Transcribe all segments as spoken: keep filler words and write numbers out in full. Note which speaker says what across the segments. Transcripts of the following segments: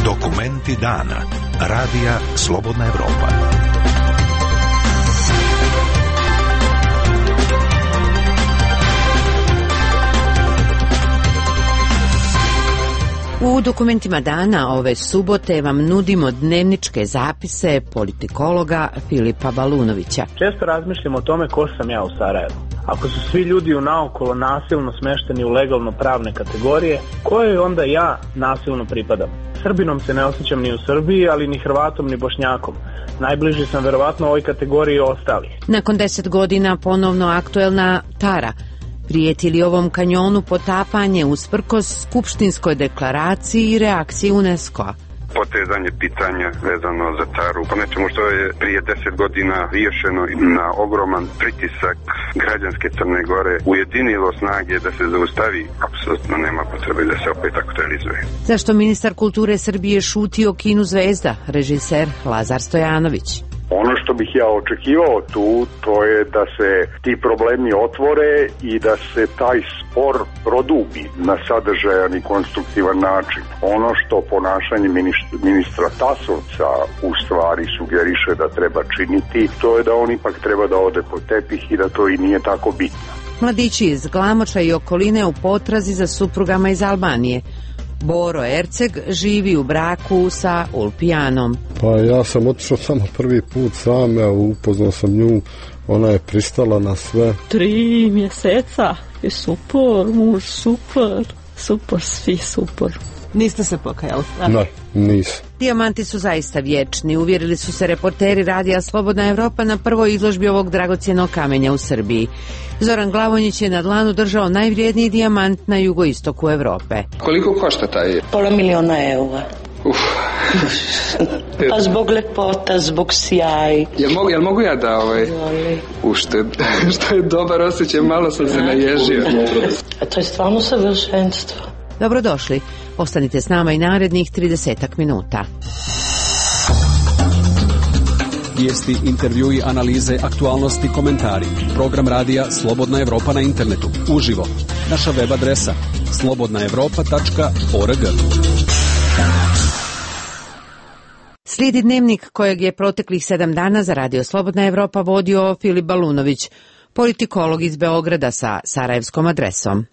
Speaker 1: Dokumenti dana. Radija Slobodna Evropa.
Speaker 2: U dokumentima dana ove subote vam nudimo dnevničke zapise politikologa Filipa Balunovića.
Speaker 3: Često razmišljam o tome ko sam ja u Sarajevu. Ako su svi ljudi u naokolo nasilno smešteni u legalno pravne kategorije, kojoj onda ja nasilno pripadam? Srbinom se ne osjećam ni u Srbiji, ali ni Hrvatom ni Bošnjakom. Najbliži sam verovatno ovoj kategoriji ostalih.
Speaker 2: Nakon deset godina ponovno aktuelna Tara. Prijeti li ovom kanjonu potapanje usprkos skupštinskoj deklaraciji i reakciji UNESCO-a?
Speaker 4: Potezanje pitanja vezano za Taru, po nečemu što je prije deset godina riješeno na ogroman pritisak građanske Crne Gore, ujedinilo snage da se zaustavi, apsolutno nema potrebe da se opet aktualizuje.
Speaker 2: Zašto ministar kulture Srbije šuti o kinu Zvezda, režiser Lazar Stojanović?
Speaker 5: Ono što bih ja očekivao tu, to je da se ti problemi otvore i da se taj spor produbi na sadržajan i konstruktivan način. Ono što ponašanje ministra Tasovca u stvari sugeriše da treba činiti, to je da on ipak treba da ode po tepih i da to i nije tako bitno.
Speaker 2: Mladići iz Glamoča i okoline u potrazi za suprugama iz Albanije. Boro Erceg živi u braku sa Ulpijanom.
Speaker 6: Pa ja sam otišao samo prvi put sam, ja upoznao sam nju, ona je pristala na sve.
Speaker 7: Tri mjeseca je super, muž super, super, svi super. Niste se pokajali?
Speaker 6: Ne, nisam.
Speaker 2: Dijamanti su zaista vječni, uvjerili su se reporteri Radija Slobodna Evropa na prvoj izložbi ovog dragocjenog kamenja u Srbiji. Zoran Glavonjić je na dlanu držao najvrijedniji dijamant na jugoistoku Evrope.
Speaker 8: Koliko košta taj?
Speaker 9: Pola miliona eura.
Speaker 8: Uf.
Speaker 9: Pa zbog lepota, zbog sjaj.
Speaker 8: Jel mogu, jel mogu ja da ovaj ušted? Što je dobar osjećaj, malo sam se naježio.
Speaker 9: A to je stvarno savršenstvo.
Speaker 2: Dobrodošli. Ostanite s nama i narednih tridesetak minuta.
Speaker 10: Vijesti, intervjui, analize, aktualnosti, komentari. Program radija Slobodna Evropa na internetu. Uživo. Naša web adresa slobodna evropa tačka org.
Speaker 2: Slijedi dnevnik kojeg je proteklih sedam dana za Radio Slobodna Evropa vodio Filip Balunović, politikolog iz Beograda sa sarajevskom adresom.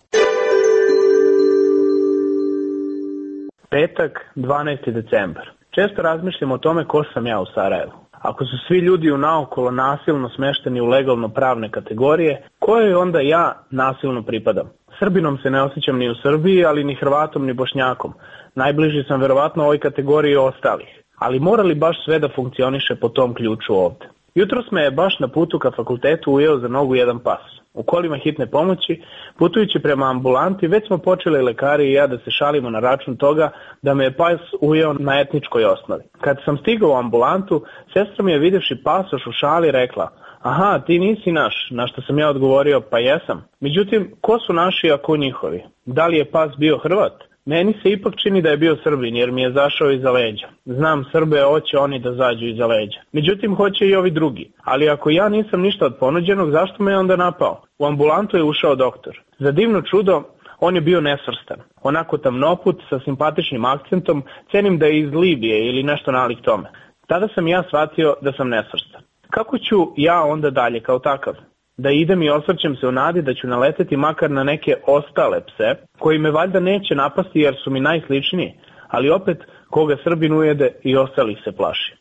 Speaker 3: Petak, dvanaesti decembar. Često razmišljam o tome ko sam ja u Sarajevu. Ako su svi ljudi u naokolo nasilno smešteni u legalno pravne kategorije, kojoj onda ja nasilno pripadam? Srbinom se ne osjećam ni u Srbiji, ali ni Hrvatom ni Bošnjakom. Najbliži sam verovatno ovoj kategoriji ostalih. Ali mora li baš sve da funkcioniše po tom ključu ovde? Jutros me je baš na putu ka fakultetu ujeo za nogu jedan pas. U kolima hitne pomoći, putujući prema ambulanti, već smo počeli lekari i ja da se šalimo na račun toga da me je pas ujeo na etničkoj osnovi. Kad sam stigao u ambulantu, sestra mi je vidjevši pasoš u šali rekla: aha, ti nisi naš, na što sam ja odgovorio: pa jesam. Međutim, ko su naši ako njihovi? Da li je pas bio Hrvat? Meni se ipak čini da je bio Srbin jer mi je zašao iza leđa. Znam, Srbe hoće oni da zađu iza leđa. Međutim, hoće i ovi drugi. Ali ako ja nisam ništa od ponuđenog, zašto me je onda napao? U ambulantu je ušao doktor. Za divno čudo, on je bio nesvrstan. Onako tamnoput, sa simpatičnim akcentom, cenim da je iz Libije ili nešto nalik tome. Tada sam ja shvatio da sam nesvrstan. Kako ću ja onda dalje kao takav? Da idem i osvrćem se u nadi da ću naleteti makar na neke ostale pse, koji me valjda neće napasti jer su mi najsličniji, ali opet koga Srbin ujede i ostalih se plaši.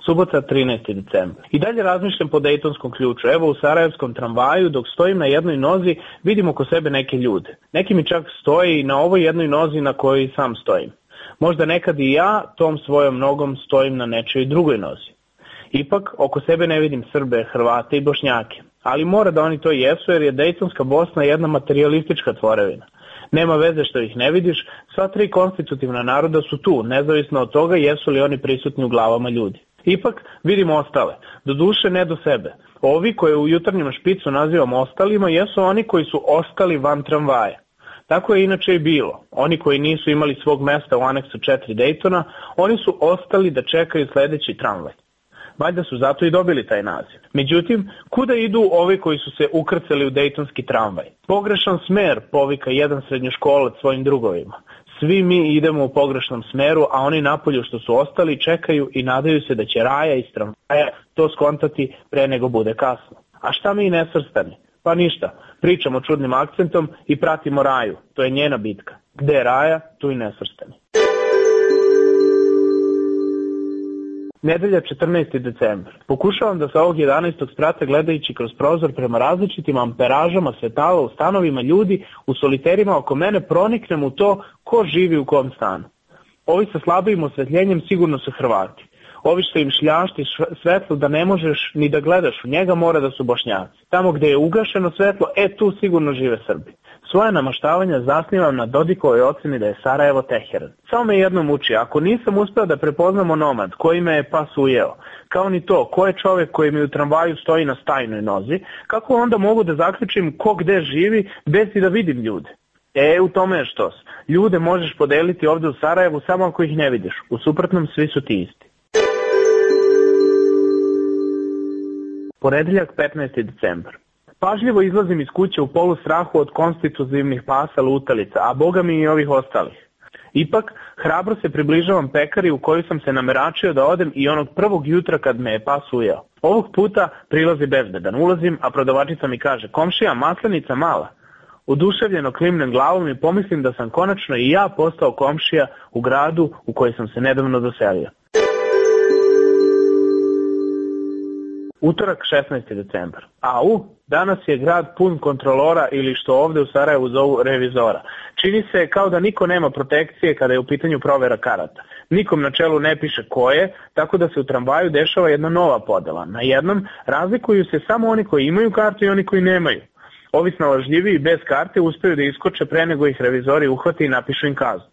Speaker 3: Subota, trinaesti decembar. I dalje razmišljam po dejtonskom ključu. Evo u sarajevskom tramvaju, dok stojim na jednoj nozi, vidim oko sebe neke ljude. Neki mi čak stoji na ovoj jednoj nozi na kojoj sam stojim. Možda nekad i ja tom svojom nogom stojim na nečoj drugoj nozi. Ipak, oko sebe ne vidim Srbe, Hrvate i Bošnjake. Ali mora da oni to jesu jer je Dejtonska Bosna jedna materijalistička tvorevina. Nema veze što ih ne vidiš, sva tri konstitutivna naroda su tu, nezavisno od toga jesu li oni prisutni u glavama ljudi. Ipak vidimo ostale, doduše ne do sebe. Ovi koje u jutarnjem špicu nazivamo ostalima jesu oni koji su ostali van tramvaja. Tako je inače i bilo. Oni koji nisu imali svog mesta u aneksu četiri Dejtona, oni su ostali da čekaju sledeći tramvaj. Valjda su zato i dobili taj naziv. Međutim, kuda idu ovi koji su se ukrcali u dejtonski tramvaj? Pogrešan smer, povika jedan srednjoškolac svojim drugovima. Svi mi idemo u pogrešnom smeru, a oni napolju što su ostali čekaju i nadaju se da će Raja iz tramvaja to skontati pre nego bude kasno. A šta mi nesvrstani? Pa ništa, pričamo čudnim akcentom i pratimo Raju, to je njena bitka. Gde je Raja, tu i nesvrstani. Nedelja četrnaesti decembar. Pokušavam da sa ovog jedanaestog sprata gledajući kroz prozor prema različitim amperažama svetala u stanovima ljudi, u soliterima oko mene proniknem u to ko živi u kom stanu. Ovi sa slabijim osvetljenjem sigurno su Hrvati. Ovi što im šljašti svetlo da ne možeš ni da gledaš u njega mora da su Bošnjaci. Tamo gde je ugašeno svetlo, e tu sigurno žive Srbi. Svoje namaštavanja zasnivam na Dodikovoj oceni da je Sarajevo Teheran. Samo me jedno muči, ako nisam uspeo da prepoznam onomad koji me je pas ujeo, kao ni to ko je čovjek koji mi u tramvaju stoji na stajnoj nozi, kako onda mogu da zaključim ko gde živi bez i da vidim ljude? E, u tome je štos. Ljude možeš podeliti ovde u Sarajevu samo ako ih ne vidiš, u suprotnom svi su ti isti. Ponedeljak petnaesti decembar. Pažljivo izlazim iz kuće u polu strahu od konstitutivnih pasa lutalica, a boga mi i ovih ostalih. Ipak, hrabro se približavam pekari u koju sam se nameračio da odem i onog prvog jutra kad me je pas ujeo. Ovog puta prilazi bezbedan. Ulazim, a prodavačica mi kaže, komšija, maslenica mala. Oduševljeno klimnem glavom i pomislim da sam konačno i ja postao komšija u gradu u koji sam se nedavno doselio. Utorak šesnaesti decembar. Au, danas je grad pun kontrolora ili što ovde u Sarajevu zovu revizora. Čini se kao da niko nema protekcije kada je u pitanju provera karata. Nikom na čelu ne piše ko je, tako da se u tramvaju dešava jedna nova podela. Na jednom razlikuju se samo oni koji imaju kartu i oni koji nemaju. Ovi snalažljiviji bez karte uspeju da iskoče pre nego ih revizori uhvati i napišu im kaznu.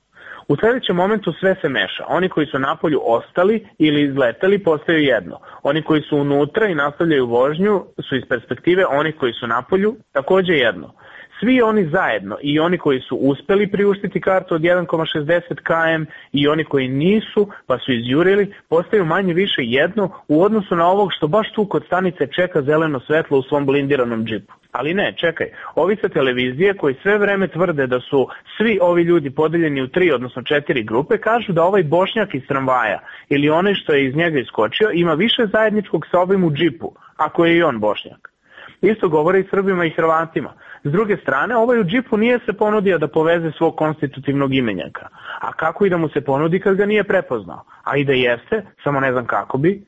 Speaker 3: U sljedećem momentu sve se meša. Oni koji su napolju ostali ili izleteli postaju jedno. Oni koji su unutra i nastavljaju vožnju su iz perspektive onih koji su napolju takođe jedno. Svi oni zajedno, i oni koji su uspeli priuštiti kartu od jedan zarez šezdeset kilometara i oni koji nisu pa su izjurili, postaju manje više jedno u odnosu na ovog što baš tu kod stanice čeka zeleno svetlo u svom blindiranom džipu. Ali ne, čekaj, ovi sa televizije koji sve vreme tvrde da su svi ovi ljudi podeljeni u tri, odnosno četiri grupe, kažu da ovaj Bošnjak iz tramvaja ili onaj što je iz njega iskočio ima više zajedničkog sa ovim u džipu, ako je i on Bošnjak. Isto govore i Srbima i Hrvatima. S druge strane, ovaj u džipu nije se ponudio da poveze svog konstitutivnog imenjaka. A kako i da mu se ponudi kad ga nije prepoznao? A i da jeste, samo ne znam kako bi.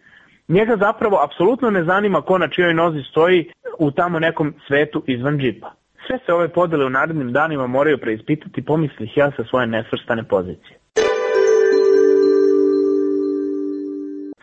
Speaker 3: Njega zapravo apsolutno ne zanima ko na čijoj nozi stoji u tamo nekom svetu izvan džipa. Sve se ove podele u narednim danima moraju preispitati, pomislih ja sa svoje nesvrstane pozicije.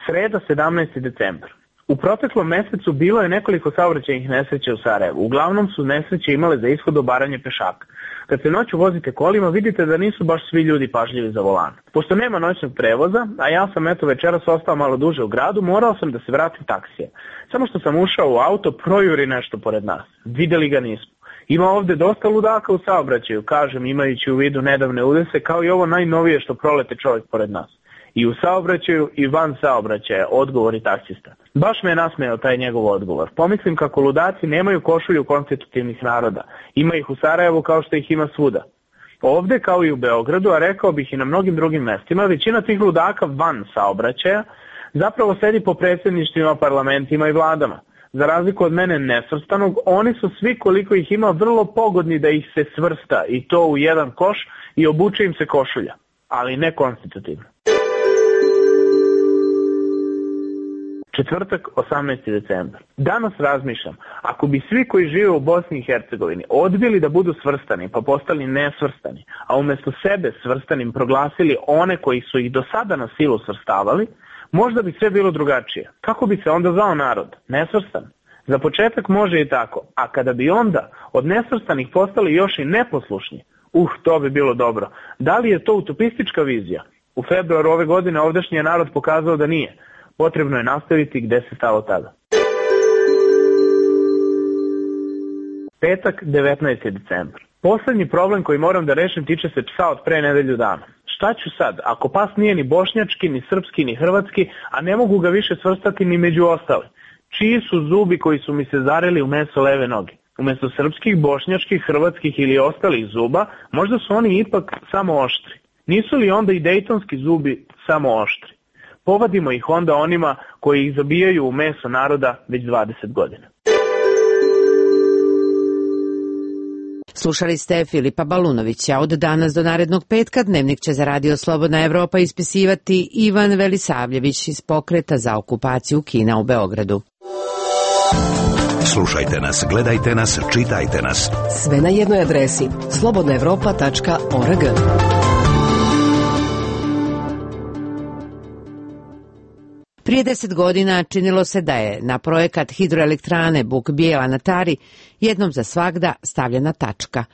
Speaker 3: Sreda sedamnaesti decembar. U proteklom mesecu bilo je nekoliko saobraćajnih nesreća u Sarajevu. Uglavnom su nesreće imale za ishod obaranje pešaka. Kad se noću vozite kolima, vidite da nisu baš svi ljudi pažljivi za volan. Pošto nema noćnog prevoza, a ja sam eto večeras ostao malo duže u gradu, morao sam da se vratim taksije. Samo što sam ušao u auto, projuri nešto pored nas. Videli ga nismo. Ima ovde dosta ludaka u saobraćaju, kažem, imajući u vidu nedavne udese, kao i ovo najnovije što prolete čovjek pored nas. I u saobraćaju i van saobraćaja, odgovori taksista. Baš me je nasmejao taj njegov odgovor. Pomislim kako ludaci nemaju košulju konstitutivnih naroda. Ima ih u Sarajevu kao što ih ima svuda. Ovde, kao i u Beogradu, a rekao bih i na mnogim drugim mestima, većina tih ludaka van saobraćaja zapravo sedi po predsjedništvima, parlamentima i vladama. Za razliku od mene nesvrstanog, oni su svi koliko ih ima vrlo pogodni da ih se svrsta i to u jedan koš i obuče im se košulja, ali ne konstitutivno. Četvrtak, osamnaesti decembar. Danas razmišljam, ako bi svi koji žive u Bosni i Hercegovini odbili da budu svrstani pa postali nesvrstani, a umjesto sebe svrstanim proglasili one koji su ih do sada na silu svrstavali, možda bi sve bilo drugačije. Kako bi se onda zvao narod? Nesvrstan? Za početak može i tako, a kada bi onda od nesvrstanih postali još i neposlušni, uh, to bi bilo dobro. Da li je to utopistička vizija? U februaru ove godine ovdašnji je narod pokazao da nije. Potrebno je nastaviti gde se stalo tada. Petak, devetnaesti decembar. Poslednji problem koji moram da rešim tiče se psa od pre nedelju dana. šta ću sad, ako pas nije ni bošnjački, ni srpski, ni hrvatski, a ne mogu ga više svrstati ni među ostale? Čiji su zubi koji su mi se zareli u meso leve noge? Umesto srpskih, bošnjačkih, hrvatskih ili ostalih zuba, možda su oni ipak samo oštri. Nisu li onda i dejtonski zubi samo oštri? Povadimo ih onda onima koji ih zabijaju u meso naroda već dvadeset godina.
Speaker 2: Slušali ste Filipa Balunovića. Od danas do narednog petka Dnevnik će za Radio Slobodna Evropa ispisivati Ivan Velisavljević iz Pokreta za okupaciju Kina u Beogradu.
Speaker 1: Slušajte nas, gledajte nas, čitajte nas.
Speaker 11: Sve na jednoj adresi slobodna evropa tačka org.
Speaker 2: Prije deset godina činilo se da je na projekat hidroelektrane Buk Bijela na Tari jednom za svagda stavljena tačka.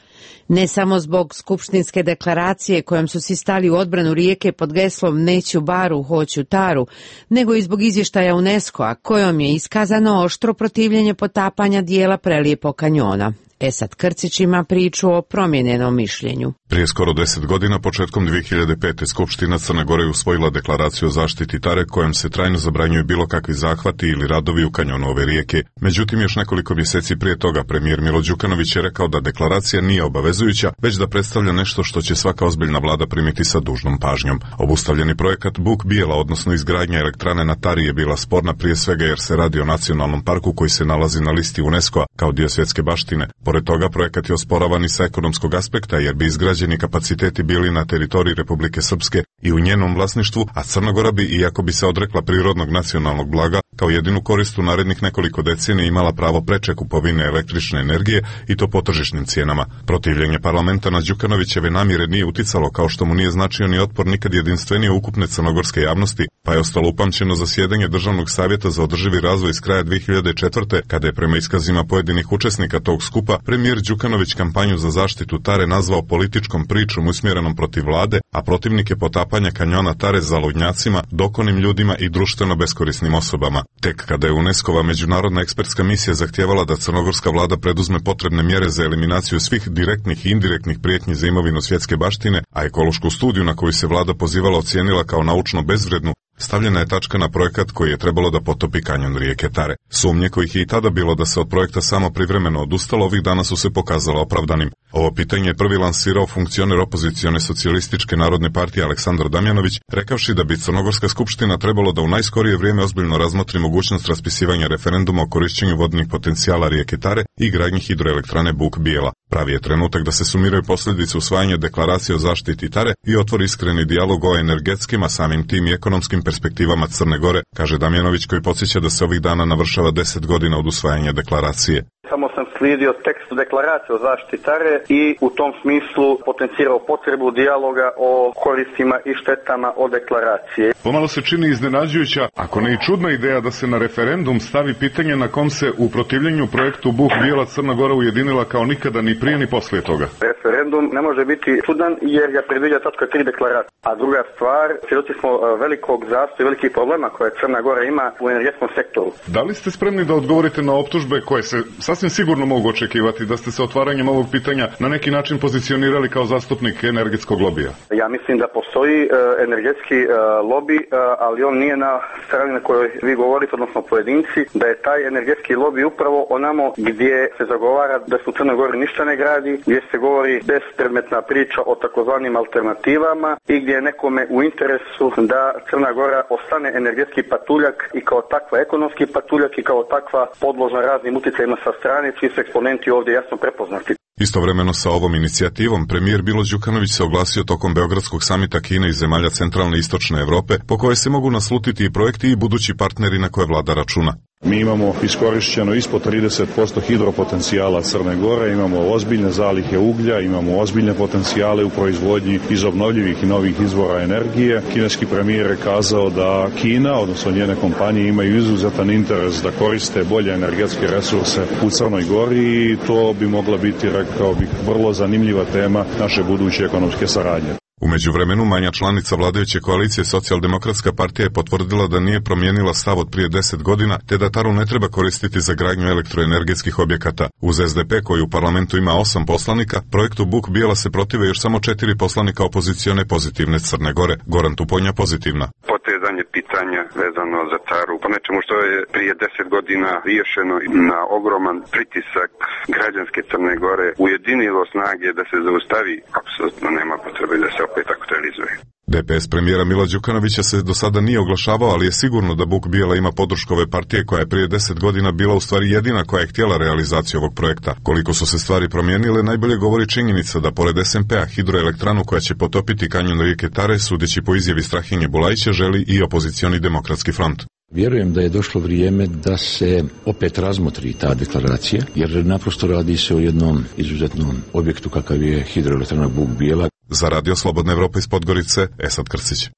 Speaker 2: Ne samo zbog skupštinske deklaracije kojom su si stali u odbranu rijeke pod geslom neću baru, hoću taru, nego i zbog izvještaja UNESCO-a kojom je iskazano oštro protivljenje potapanja dijela prelijepog kanjona. Esad Krcić ima priču o promijenjenom mišljenju.
Speaker 12: Prije skoro deset godina, početkom dvije hiljade pete. Skupština Crne Gore je usvojila deklaraciju o zaštiti Tare kojom se trajno zabranjuju bilo kakvi zahvati ili radovi u kanjonu ove rijeke. Međutim, još nekoliko mjeseci prije toga premijer Milo Đukanović je rekao da deklaracija nije obavezujuća, već da predstavlja nešto što će svaka ozbiljna vlada primiti sa dužnom pažnjom. Obustavljeni projekat Buk Bijela, odnosno izgradnja elektrane na Tari, je bila sporna prije svega jer se radi o nacionalnom parku koji se nalazi na listi UNESCO-a kao dio svjetske baštine. Pored toga, projekat je osporavan i sa ekonomskog aspekta jer bi izgrađeni kapaciteti bili na teritoriji Republike Srpske i u njenom vlasništvu, a Crna Gora bi, iako bi se odrekla prirodnog nacionalnog blaga, kao jedinu korist u narednih nekoliko decenija imala pravo preče kupovine električne energije i to po tržišnim cijenama. Protivljenje parlamenta na Đukanovićeve namjere nije uticalo, kao što mu nije značio ni otpor nikad jedinstvenije ukupne crnogorske javnosti, pa je ostalo upamćeno zasjedanje Državnog savjeta za održivi razvoj iz kraja dvije hiljade četvrte. kada je prema iskazima pojedinih učesnika tog skupa premijer Đukanović kampanju za zaštitu Tare nazvao političkom pričom usmjerenom protiv vlade, a protivnike potapanja kanjona Tare zaludnjacima, dokonim ljudima i društveno beskorisnim osobama. Tek kada je UNESCO-va međunarodna ekspertska misija zahtijevala da crnogorska vlada preduzme potrebne mjere za eliminaciju svih direktnih i indirektnih prijetnji za imovinu svjetske baštine, a ekološku studiju na koju se vlada pozivala ocijenila kao naučno bezvrednu, stavljena je tačka na projekat koji je trebalo da potopi kanjon rijeke Tare. Sumnje kojih je i tada bilo da se od projekta samo privremeno odustalo, ovih dana su se pokazala opravdanim. Ovo pitanje je prvi lansirao funkcioner opozicione socijalističke narodne partije Aleksandar Damjanović, rekavši da bi Crnogorska skupština trebalo da u najskorije vrijeme ozbiljno razmotri mogućnost raspisivanja referenduma o korišćenju vodnih potencijala rijeke Tare i gradnji hidroelektrane Buk Bijela. Pravi je trenutak da se sumiraju posljedice usvajanja deklaracije o zaštiti Tare i otvori iskreni dijalog o energetskim, a samim tim i ekonomskim perspektivama Crne Gore, kaže Damjanović, koji podsjeća da se ovih dana navršava deset godina od usvajanja deklaracije.
Speaker 13: Samo sam slijedio tekst deklaracije o zaštiti Tare i u tom smislu potencirao potrebu dijaloga o koristima i štetama o deklaracije.
Speaker 12: Pomalo se čini iznenađujuća, ako ne i čudna ideja da se na referendum stavi pitanje na kom se u protivljenju projektu Buk Bijela Crna Gora ujedinila kao nikada ni prije ni poslije toga.
Speaker 13: Referendum ne može biti čudan jer ga predviđa tačka tri deklaracije. A druga stvar, svjedoci smo velikog zastoja i velikih problema koje Crna Gora ima u energetskom sektoru.
Speaker 12: Da li ste spremni da odgovorite na optužbe koje se sasvim sigurno mogu očekivati da ste se otvaranjem ovog pitanja na neki način pozicionirali kao zastupnik energetskog lobija?
Speaker 13: Ja mislim da postoji uh, energetski uh, lobby, uh, ali on nije na strani na kojoj vi govorite, odnosno pojedinci, da je taj energetski lobby upravo onamo gdje se zagovara da se u Crnoj Gori ništa ne gradi, gdje se govori bespredmetna priča o takozvanim alternativama i gdje je nekome u interesu da Crna Gora ostane energetski patuljak i kao takva ekonomski patuljak i kao takva podložna raznim utjecajima sa strane, čiji su eksponenti ovdje jasno prepoznati.
Speaker 12: Istovremeno sa ovom inicijativom, premijer Milo Đukanović se oglasio tokom Beogradskog samita Kine i zemalja centralne i istočne Europe, po koje se mogu naslutiti i projekti i budući partneri na koje vlada računa.
Speaker 14: Mi imamo iskorišćeno ispod trideset posto hidropotencijala Crne Gore, imamo ozbiljne zalihe uglja, imamo ozbiljne potencijale u proizvodnji iz obnovljivih i novih izvora energije. Kineski premijer je kazao da Kina, odnosno njene kompanije, imaju izuzetan interes da koriste bolje energetske resurse u Crnoj Gori i to bi mogla biti, rekao bih, vrlo zanimljiva tema naše buduće ekonomske saradnje.
Speaker 12: U međuvremenu, manja članica vladajuće koalicije Socijaldemokratska partija je potvrdila da nije promijenila stav od prije deset godina, te da Taru ne treba koristiti za gradnju elektroenergetskih objekata. Uz S D P, koji u parlamentu ima osam poslanika, projektu Buk Bijela se protive još samo četiri poslanika opozicione pozitivne Crne Gore. Goran Tuponja pozitivna.
Speaker 4: Potezanje pitanja vezano za Taru, po nečemu što je prije deset godina riješeno na ogroman pritisak građanske Crne Gore, ujedinilo snage da se zaustavi, apsolutno nema potrebe da se opet aktualizuje.
Speaker 12: D P S premijera Mila Đukanovića se do sada nije oglašavao, ali je sigurno da Buk Bijela ima podršku ove partije koja je prije deset godina bila u stvari jedina koja je htjela realizaciju ovog projekta. Koliko su se stvari promijenile, najbolje govori činjenica da pored S M P-a hidroelektranu koja će potopiti kanjon rijeke Tare, sudeći po izjavi Strahinje Bulajića, želi i opozicioni Demokratski front.
Speaker 15: Vjerujem da je došlo vrijeme da se opet razmotri ta deklaracija, jer naprosto radi se o jednom izuzetnom objektu kakav je hidroelektrana Buk Bijela.
Speaker 12: Za Radio Slobodna Evropa iz Podgorice, Esad Krsić.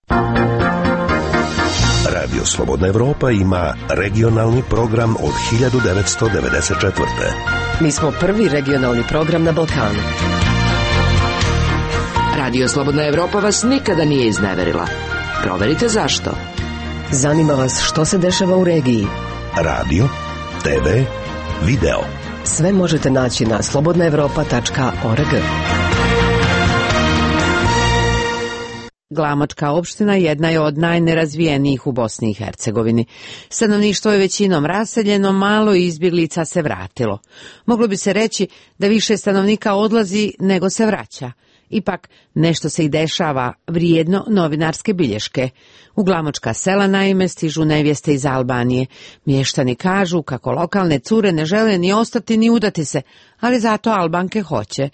Speaker 1: Radio Slobodna Evropa ima regionalni program od hiljadu devetsto devedeset četvrte.
Speaker 11: Mi smo prvi regionalni program na Balkanu.
Speaker 16: Radio Slobodna Evropa vas nikada nije izneverila. Proverite zašto.
Speaker 11: Zanima vas što se dešava u regiji.
Speaker 1: Radio, te ve, video.
Speaker 11: Sve možete naći na slobodna evropa tačka org.
Speaker 2: Glamočka opština jedna je od najnerazvijenijih u Bosni i Hercegovini. Stanovništvo je većinom raseljeno, malo izbjeglica se vratilo. Moglo bi se reći da više stanovnika odlazi nego se vraća. Ipak, nešto se i dešava, vrijedno novinarske bilješke. U Glamočka sela naime stižu nevjeste iz Albanije. Mještani kažu kako lokalne cure ne žele ni ostati ni udati se, ali zato Albanke hoće.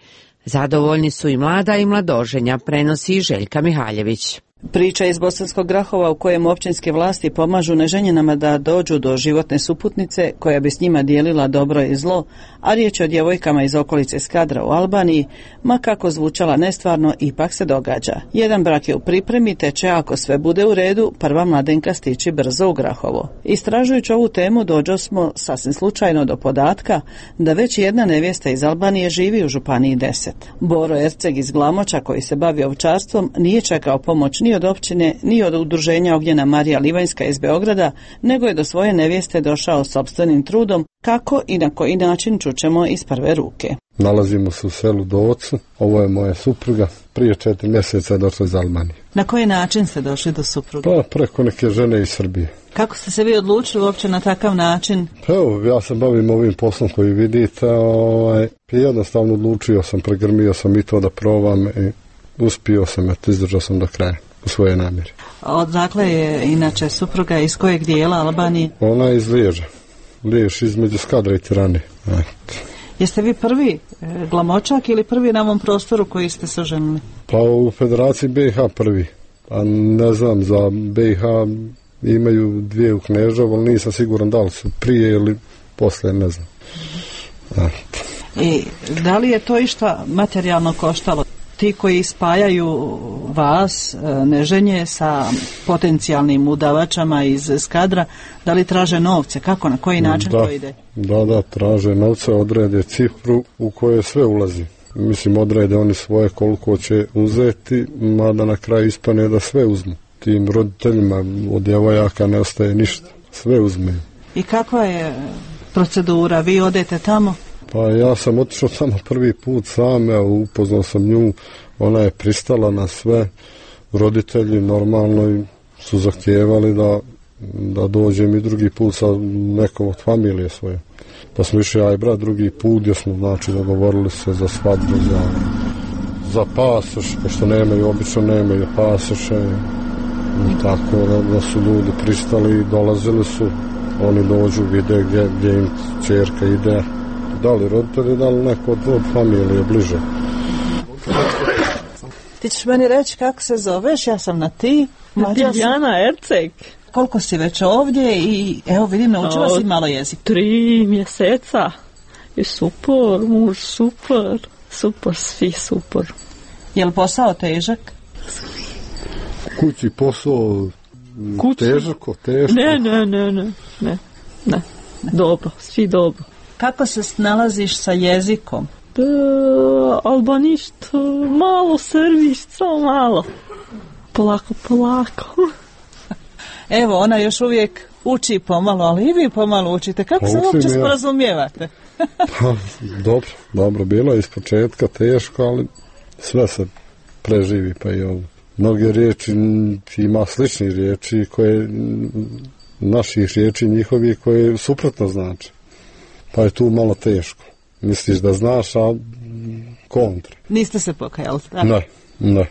Speaker 2: Zadovoljni su i mlada i mladoženja, prenosi i Željka Mihaljević.
Speaker 17: Priča iz Bosanskog Grahova u kojem općinske vlasti pomažu neženjenama da dođu do životne suputnice koja bi s njima dijelila dobro i zlo, a riječ je o djevojkama iz okolice Skadra u Albaniji, ma kako zvučala nestvarno, ipak se događa. Jedan brak je u pripremi, te će, ako sve bude u redu, prva mladenka stići brzo u Grahovo. Istražujući ovu temu dođo smo sasvim slučajno do podatka da već jedna nevjesta iz Albanije živi u županiji deset. Boro Erceg iz Glamoča, koji se bavi ovčarstvom, nije čekao pomoć ni od općine, ni od udruženja Ognjena Marija Livanjska iz Beograda, nego je do svoje nevjeste došao sopstvenim trudom, kako i na koji način čućemo iz prve ruke.
Speaker 6: Nalazimo se u selu Docu, ovo je moja supruga, prije četiri mjeseca je došla iz Albanije.
Speaker 17: Na koji način ste došli do supruge?
Speaker 6: Pa preko neke žene iz Srbije.
Speaker 17: Kako ste se vi odlučili uopće na takav način?
Speaker 6: Pa evo, ja se bavim ovim poslom koji vidite, ovaj, jednostavno odlučio sam, pregrmio sam i to da probam i uspio sam, eto, izdržao sam do kraja u svoje namjere.
Speaker 17: Odakle je inače supruga, iz kojeg dijela Albanije?
Speaker 6: Ona je iz Liježa, Lijež između Skadra i Tirane. Eto.
Speaker 17: Jeste vi prvi e, Glamočak ili prvi na ovom prostoru koji ste se oženili?
Speaker 6: Pa u Federaciji B i H prvi, a ne znam, za B i H imaju dvije u Kneževu, ali nisam siguran da li su prije ili poslije, ne znam. Eto.
Speaker 17: I da li je to išta materijalno koštalo? Ti koji spajaju vas, neženje, sa potencijalnim udavačama iz Skadra, da li traže novce? Kako, na koji način
Speaker 6: da,
Speaker 17: to ide?
Speaker 6: Da, da, traže novce, odrede cifru u kojoj sve ulazi. Mislim, odrede oni svoje koliko će uzeti, mada na kraju ispane da sve uzmu. Tim roditeljima od djevojaka ne ostaje ništa, sve uzme.
Speaker 17: I kakva je procedura? Vi odete tamo?
Speaker 6: Pa ja sam otišao tamo prvi put sam, evo, upoznao sam nju, ona je pristala na sve, roditelji normalno su zahtijevali da, da dođem i drugi put sa nekom od familije svoje. Pa smo išli ja i brat drugi put gdje smo, znači, dogovorili se za svadbu, za, za pasoš, pošto nemaju, obično nemaju pasoše, i tako da, da su ljudi pristali i dolazili su, oni dođu, vide gdje, gdje im čerka ide, da li roditelji, da li neko od, od familije bliže.
Speaker 17: Ti ćeš meni reći kako se zoveš, ja sam na ti.
Speaker 7: Diljana Erceg.
Speaker 17: Koliko si već ovdje i evo vidim, naučila si malo jezik.
Speaker 7: Tri mjeseca. I super, muž, super. Super, svi super.
Speaker 17: Je li posao težak?
Speaker 6: Kući posao Kući? težako, teško?
Speaker 7: Ne, ne, ne, ne, ne, ne. Dobro, svi dobro.
Speaker 17: Kako se nalaziš sa jezikom?
Speaker 7: Da, albaništa, malo srbišta, samo malo. Polako, polako.
Speaker 17: Evo, ona još uvijek uči pomalo, ali i vi pomalo učite. Kako se uopće sporazumijevate?
Speaker 6: Pa, dobro, dobro, bilo je iz početka teško, ali sve se preživi, pa i ovo. Mnoge riječi, ima sličnih riječi koje, naših riječi njihovi koje suprotno znači. Pa je tu malo teško. Misliš da znaš, a kontra.
Speaker 17: Niste se pokajali, tako?
Speaker 6: Ne, ne,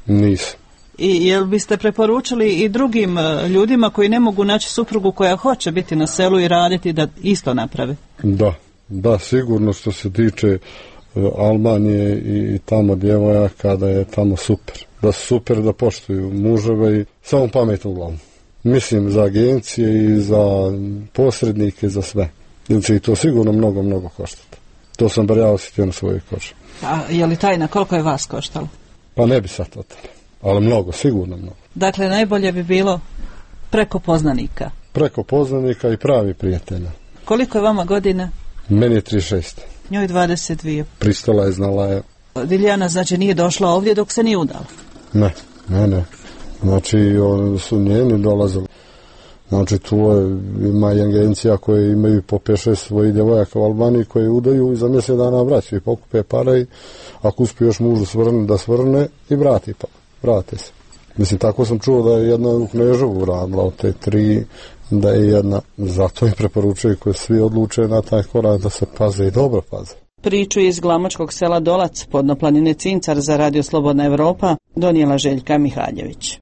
Speaker 6: nisam.
Speaker 17: I jel biste preporučili i drugim ljudima koji ne mogu naći suprugu koja hoće biti na selu i raditi da isto naprave?
Speaker 6: Da, da, sigurno što se tiče Albanije i tamo djevojaka da je tamo super. Da su super, da poštuju muževe i samo pamet u glavu. Mislim za agencije i za posrednike, za sve. Jer će i to sigurno mnogo, mnogo koštati. To sam bar ja osjetio na svojoj koži.
Speaker 17: A je li tajna koliko je vas koštalo?
Speaker 6: Pa ne bi sad o tome. Ali mnogo, sigurno mnogo.
Speaker 17: Dakle, najbolje bi bilo preko poznanika.
Speaker 6: Preko poznanika i pravi prijatelja.
Speaker 17: Koliko je vama godina?
Speaker 6: Meni je trideset šest.
Speaker 17: Njoj dvadeset dvije.
Speaker 6: Pristala je, znala je.
Speaker 17: Diljana, znači, nije došla ovdje dok se nije udala?
Speaker 6: Ne, ne, ne. Znači, oni su njeni dolazili. Znači, tu je, ima i agencija koje imaju po pet šest svojih djevojaka u Albaniji koje udaju i za mjesec dana vraćaju i pokupe pare i ako uspije još mužu svrne, da svrne i vrati pa. Vrate se. Mislim, tako sam čuo da je jedna u Kneževu radila od te tri, da je jedna, zato im preporučuju koji svi odluče na taj korak da se paze i dobro paze.
Speaker 17: Priču iz glamočkog sela Dolac, podno planine Cincar za Radio Slobodna Evropa, donijela Željka Mihaljević.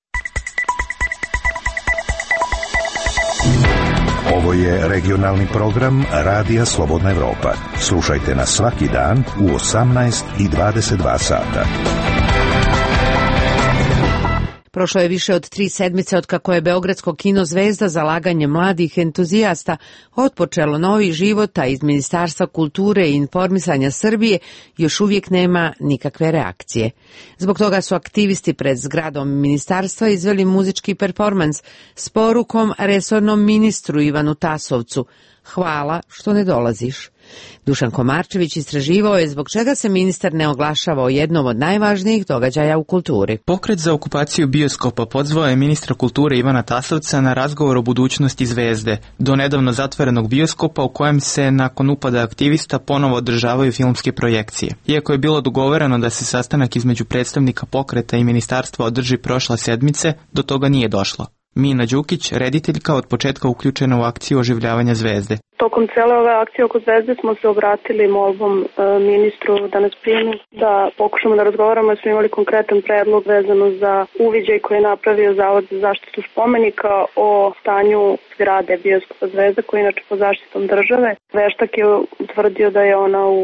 Speaker 1: Ovo je regionalni program Radija Slobodna Evropa. Slušajte nas svaki dan u osamnaest i dvadeset dva sata.
Speaker 2: Prošlo je više od tri sedmice od kako je Beogradsko kino Zvezda zalaganje mladih entuzijasta otpočelo novi život, a iz Ministarstva kulture i informisanja Srbije još uvijek nema nikakve reakcije. Zbog toga su aktivisti pred zgradom ministarstva izveli muzički performans s porukom resornom ministru Ivanu Tasovcu: hvala što ne dolaziš. Dušan Komarčević istraživao je zbog čega se ministar ne oglašava o jednom od najvažnijih događaja u kulturi.
Speaker 18: Pokret za okupaciju bioskopa pozvao je ministra kulture Ivana Tasovca na razgovor o budućnosti Zvezde, do nedavno zatvorenog bioskopa u kojem se nakon upada aktivista ponovo održavaju filmske projekcije. Iako je bilo dogovoreno da se sastanak između predstavnika pokreta i ministarstva održi prošle sedmice, do toga nije došlo. Mina Đukić, rediteljka, od početka uključena u akciju oživljavanja Zvezde.
Speaker 19: Tokom cele ove akcije oko Zvezde smo se obratili molbom e, ministru da nas primi, da pokušamo da razgovaramo, jer smo imali konkretan predlog vezano za uviđaj koji je napravio Zavod za zaštitu spomenika o stanju zgrade bioskopa Zvezda, koji je inače pod zaštitom države. Veštak je utvrdio da je ona u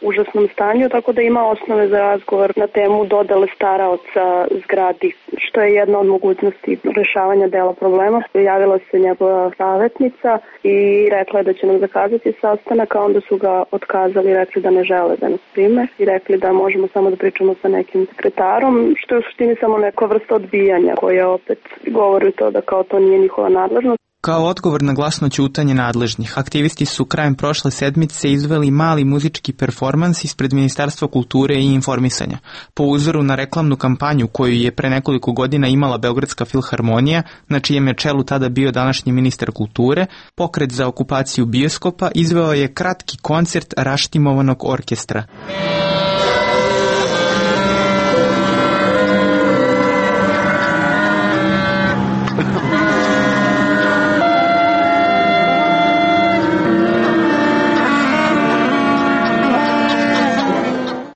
Speaker 19: užasnom stanju, tako da ima osnove za razgovor na temu dodele staraoca zgradi, što je jedna od mogućnosti rješavanja dela problema. Javila se njegova savjetnica i rekla je da će nam zakazati sastanak, a onda su ga otkazali i rekli da ne žele da nas prime i rekli da možemo samo da pričamo sa nekim sekretarom, što je u suštini samo neka vrsta odbijanja koja opet govori to da kao to nije njihova nadležnost.
Speaker 18: Kao odgovor na glasno ćutanje nadležnih, aktivisti su krajem prošle sedmice izveli mali muzički performans ispred Ministarstva kulture i informisanja. Po uzoru na reklamnu kampanju koju je pre nekoliko godina imala Beogradska filharmonija, na čijem je čelu tada bio današnji ministar kulture, pokret za okupaciju bioskopa izveo je kratki koncert raštimovanog orkestra.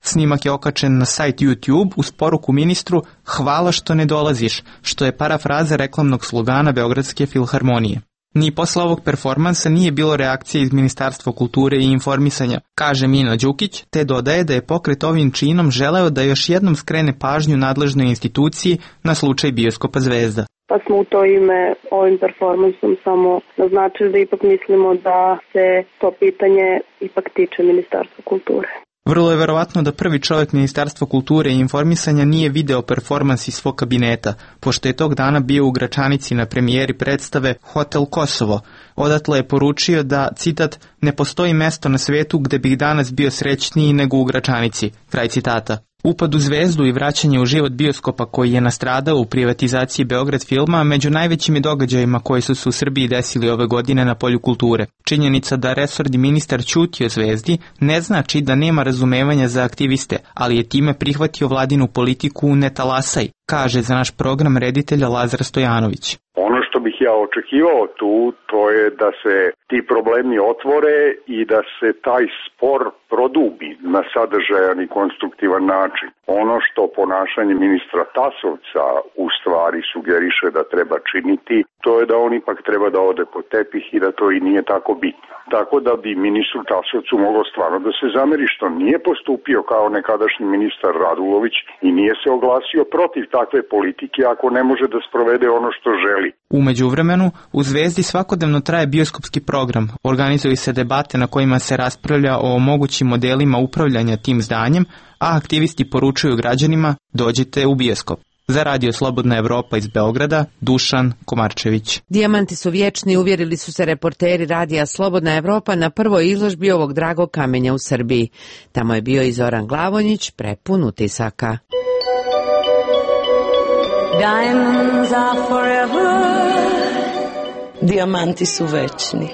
Speaker 18: Snimak je okačen na sajt YouTube uz poruku ministru hvala što ne dolaziš, što je parafraza reklamnog slogana Beogradske filharmonije. Ni posle ovog performansa nije bilo reakcije iz Ministarstva kulture i informisanja, kaže Mina Đukić, te dodaje da je pokret ovim činom želeo da još jednom skrene pažnju nadležnoj instituciji na slučaj bioskopa Zvezda.
Speaker 19: Pa smo u to ime ovim performansom samo naznačili da ipak mislimo da se to pitanje ipak tiče Ministarstva kulture.
Speaker 18: Vrlo je verovatno da prvi čovjek Ministarstva kulture i informisanja nije video performans iz svog kabineta, pošto je tog dana bio u Gračanici na premijeri predstave Hotel Kosovo. Odatle je poručio da, citat, ne postoji mesto na svetu gde bih danas bio srećniji nego u Gračanici, kraj citata. Upad u zvezdu i vraćanje u život bioskopa koji je nastradao u privatizaciji Beograd filma među najvećim događajima koji su se u Srbiji desili ove godine na polju kulture. Činjenica da resorni ministar ćuti o zvezdi ne znači da nema razumevanja za aktiviste, ali je time prihvatio vladinu politiku ne talasaj, kaže za naš program reditelja Lazar Stojanović.
Speaker 5: Ono što bih ja očekivao tu, to je da se ti problemi otvore i da se taj spor produbi na sadržajan i konstruktivan način. Ono što ponašanje ministra Tasovca u stvari sugeriše da treba činiti, to je da on ipak treba da ode po tepih i da to i nije tako bitno. Tako da bi ministru Tasovcu moglo stvarno da se zameri što nije postupio kao nekadašnji ministar Radulović i nije se oglasio protiv takve politike ako ne može da sprovede ono što želi.
Speaker 18: U međuvremenu, u Zvezdi svakodnevno traje bioskopski program, organizuju se debate na kojima se raspravlja o mogućim modelima upravljanja tim zdanjem, a aktivisti poručuju građanima dođite u bioskop. Za Radio Slobodna Evropa iz Beograda, Dušan Komarčević.
Speaker 2: Dijamanti su vječni, uvjerili su se reporteri Radija Slobodna Evropa na prvoj izložbi ovog dragog kamenja u Srbiji. Tamo je bio i Zoran Glavonjić, prepun utisaka.
Speaker 9: Diamonds are forever. Dijamanti su večni,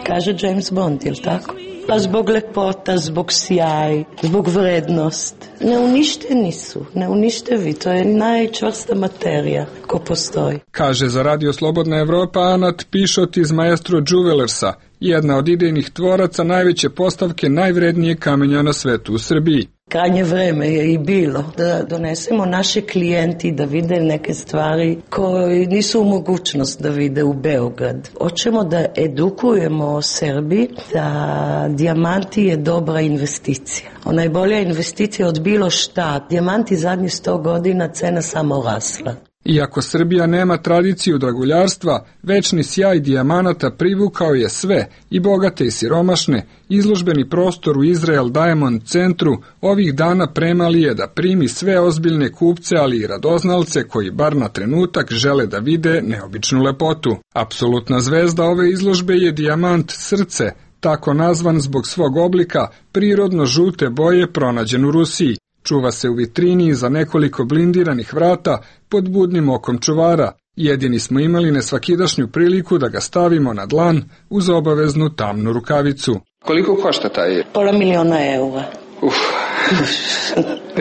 Speaker 9: kaže James Bond, je li tako? Pa zbog lepota, zbog sjaj, zbog vrednost. Neuništeni su, neuništevi, to je najčvrsta materija ko postoji.
Speaker 20: Kaže za Radio Slobodna Evropa Anat Pišot iz Maestro Juvelersa, jedna od idejnih tvoraca najveće postavke najvrednije kamenja na svetu u Srbiji.
Speaker 9: Krajnje vreme je i bilo da donesemo naše klijenti da vide neke stvari koje nisu u mogućnost da vide u Beograd. Hoćemo da edukujemo o Srbiji da dijamanti je dobra investicija. Ona je bolja investicija od bilo šta. Dijamanti zadnjih sto godina cena samo rasla.
Speaker 20: Iako Srbija nema tradiciju draguljarstva, večni sjaj dijamanata privukao je sve, i bogate i siromašne. Izložbeni prostor u Izrael Diamond centru ovih dana premali je da primi sve ozbiljne kupce, ali i radoznalce koji bar na trenutak žele da vide neobičnu lepotu. Apsolutna zvezda ove izložbe je dijamant srce, tako nazvan zbog svog oblika, prirodno žute boje pronađen u Rusiji. Čuva se u vitrini za nekoliko blindiranih vrata pod budnim okom čuvara. Jedini smo imali nesvakidašnju priliku da ga stavimo na dlan uz obaveznu tamnu rukavicu.
Speaker 8: Koliko košta taj?
Speaker 9: Pola miliona eura.
Speaker 8: Uf.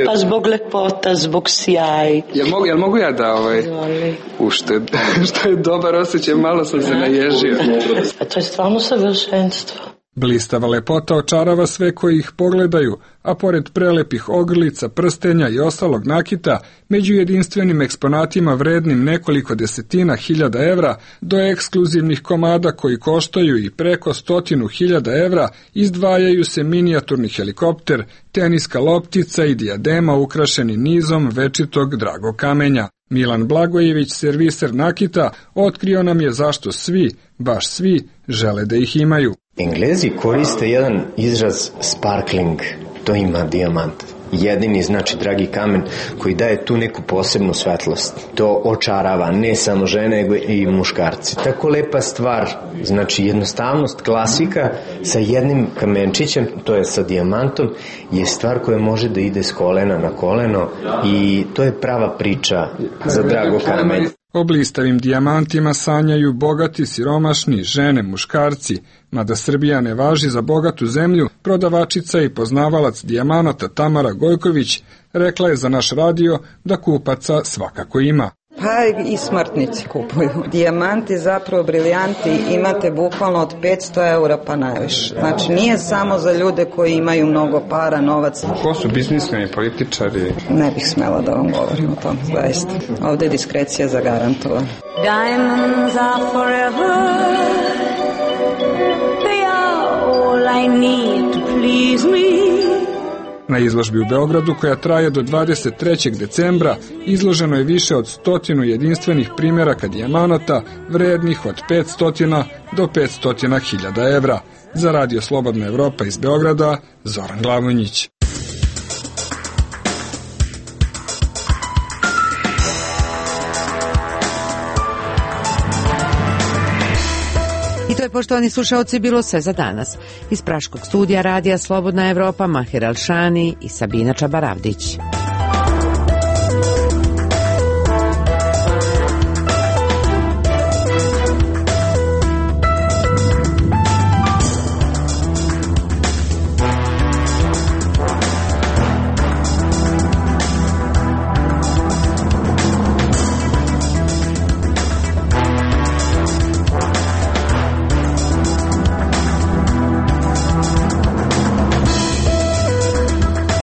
Speaker 9: Pa zbog lepota, zbog sjaj.
Speaker 8: Jel mogu, jel mogu ja da ovaj... Ušte, što je dobar osjećaj, malo sam se naježio.
Speaker 9: A to je stvarno savršenstvo.
Speaker 20: Blistava lepota očarava sve koji ih pogledaju, a pored prelepih ogrlica, prstenja i ostalog nakita, među jedinstvenim eksponatima vrednim nekoliko desetina hiljada evra do ekskluzivnih komada koji koštaju i preko stotinu hiljada evra, izdvajaju se minijaturni helikopter, teniska loptica i dijadema ukrašeni nizom večitog dragog kamenja. Milan Blagojević, serviser nakita, otkrio nam je zašto svi, baš svi, žele da ih imaju.
Speaker 21: Englezi koriste jedan izraz sparkling, to ima dijamant. Jedini, znači, dragi kamen koji daje tu neku posebnu svetlost. To očarava ne samo žene, nego i muškarci. Tako lepa stvar, znači jednostavnost, klasika sa jednim kamenčićem, to je sa dijamantom, je stvar koja može da ide s kolena na koleno i to je prava priča za drago kamen.
Speaker 20: O blistavim dijamantima sanjaju bogati, siromašni, žene, muškarci. Mada Srbija ne važi za bogatu zemlju, prodavačica i poznavalac dijamanata Tamara Gojković rekla je za naš radio da kupaca svakako ima.
Speaker 22: Pa i smrtnici kupuju. Dijamanti, zapravo briljanti, imate bukvalno od petsto eura pa najviše. Znači nije samo za ljude koji imaju mnogo para, novac.
Speaker 8: Ko su biznismeni, političari?
Speaker 22: Ne bih smela da vam govorim o tom, zaista. Ovdje je diskrecija zagarantovana.
Speaker 9: Diamonds are forever. They are all I need to please me.
Speaker 20: Na izložbi u Beogradu, koja traje do dvadeset trećeg decembra, izloženo je više od stotinu jedinstvenih primjeraka dijamanata, vrednih od petsto do petsto hiljada evra. Za Radio Slobodna Evropa iz Beograda, Zoran Glavonjić.
Speaker 2: To je, poštovani slušaoci, bilo sve za danas. Iz praškog studija Radija Slobodna Evropa, Mahir Alšani i Sabina Čabaravdić.